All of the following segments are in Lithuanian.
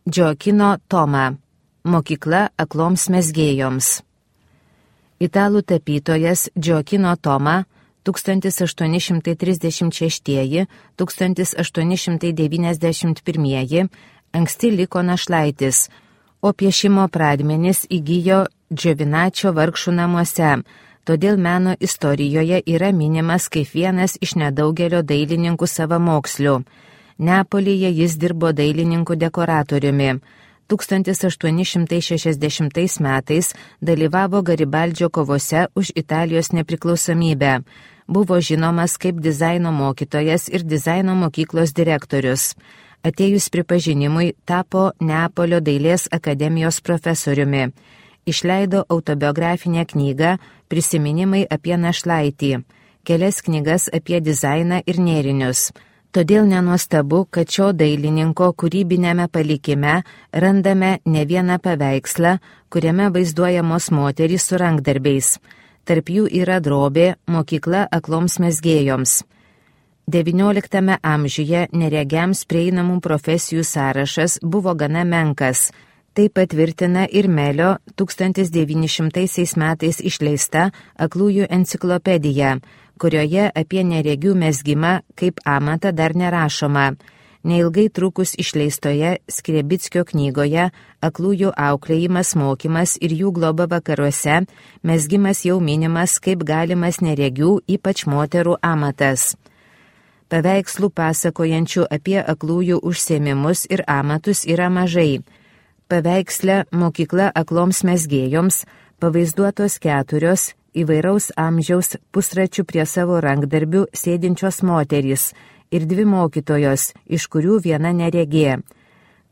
Gioacchino Toma. Mokykla akloms mezgėjoms. Italų tapytojas Gioacchino Toma 1836–1891 anksti liko našlaitis, o piešimo pradmenis įgijo Giovinaccio vargšų namuose, todėl meno istorijoje yra minimas kaip vienas iš nedaugelio dailininkų savamokslių. Neapolyje jis dirbo dailininkų dekoratoriumi. 1860 metais dalyvavo Garibaldžio kovose už Italijos nepriklausomybę. Buvo žinomas kaip dizaino mokytojas ir dizaino mokyklos direktorius. Atėjus pripažinimui tapo Neapolio dailės akademijos profesoriumi. Išleido autobiografinę knygą Prisiminimai apie našlaitį, kelias knygas apie dizainą ir nėrinius. Todėl nenuostabu, kad šio dailininko kūrybinėme palikime randame ne vieną paveikslą, kuriame vaizduojamos moterys su rankdarbiais. Tarp jų yra drobė Mokykla akloms mezgėjoms. XIX amžiuje neregiams prieinamų profesijų sąrašas buvo gana menkas. Tai patvirtina ir Melio 1900 metais išleista Aklųjų enciklopedija, kurioje apie neregių mezgimą kaip amatą dar nerašoma. Neilgai trukus išleistoje Skrebickio knygoje Aklųjų auklėjimas, mokymas ir jų globa vakaruose mezgimas jau minimas kaip galimas neregių, ypač moterų amatas. Paveikslų pasakojančių apie aklųjų užsiėmimus ir amatus yra mažai. Paveiksle Mokykla akloms mezgėjoms pavaizduotos 4 įvairaus amžiaus pusračių prie savo rankdarbių sėdinčios moterys ir 2 mokytojos, iš kurių viena neregė.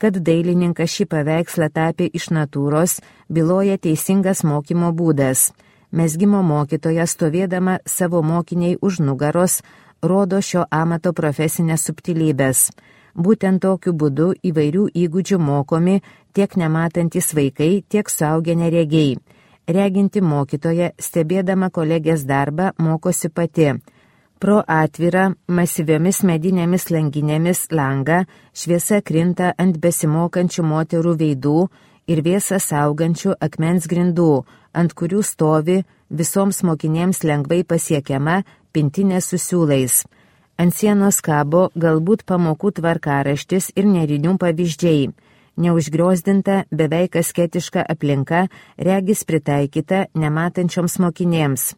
Kad dailininkas šį paveikslą tapė iš natūros, byloja teisingas mokymo būdas. Mezgimo mokytoja stovėdama savo mokiniai už nugaros rodo šio amato profesinės subtilybės. Būtent tokiu būdu įvairių įgūdžių mokomi tiek nematantis vaikai, tiek suaugę neregiai. Reginti mokytoja, stebėdama kolegės darbą, mokosi pati. Pro atvirą, masyviomis medinėmis langinėmis langą šviesa krinta ant besimokančių moterų veidų ir vėsą saugančių akmens grindų, ant kurių stovi visoms mokinėms lengvai pasiekiama pintinė su siūlais. Ant sienos kabo galbūt pamokų tvarkaraštis ir nėrinių pavyzdžiai. Neužgriozdinta, beveik asketiška aplinka regis pritaikyta nematančioms mokinėms.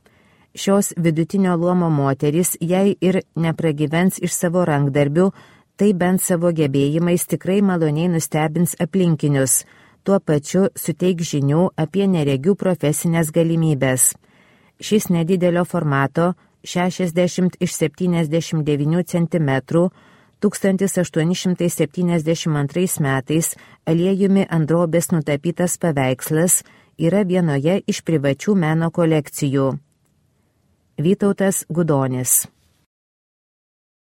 Šios vidutinio luomo moterys, jei ir nepragyvens iš savo rankdarbių, tai bent savo gebėjimais tikrai maloniai nustebins aplinkinius, tuo pačiu suteik žinių apie neregių profesinės galimybės. Šis nedidelio formato 60x79 cm 1872 metais aliejumi ant drobės nutapytas paveikslas yra vienoje iš privačių meno kolekcijų. Vytautas Gudonis.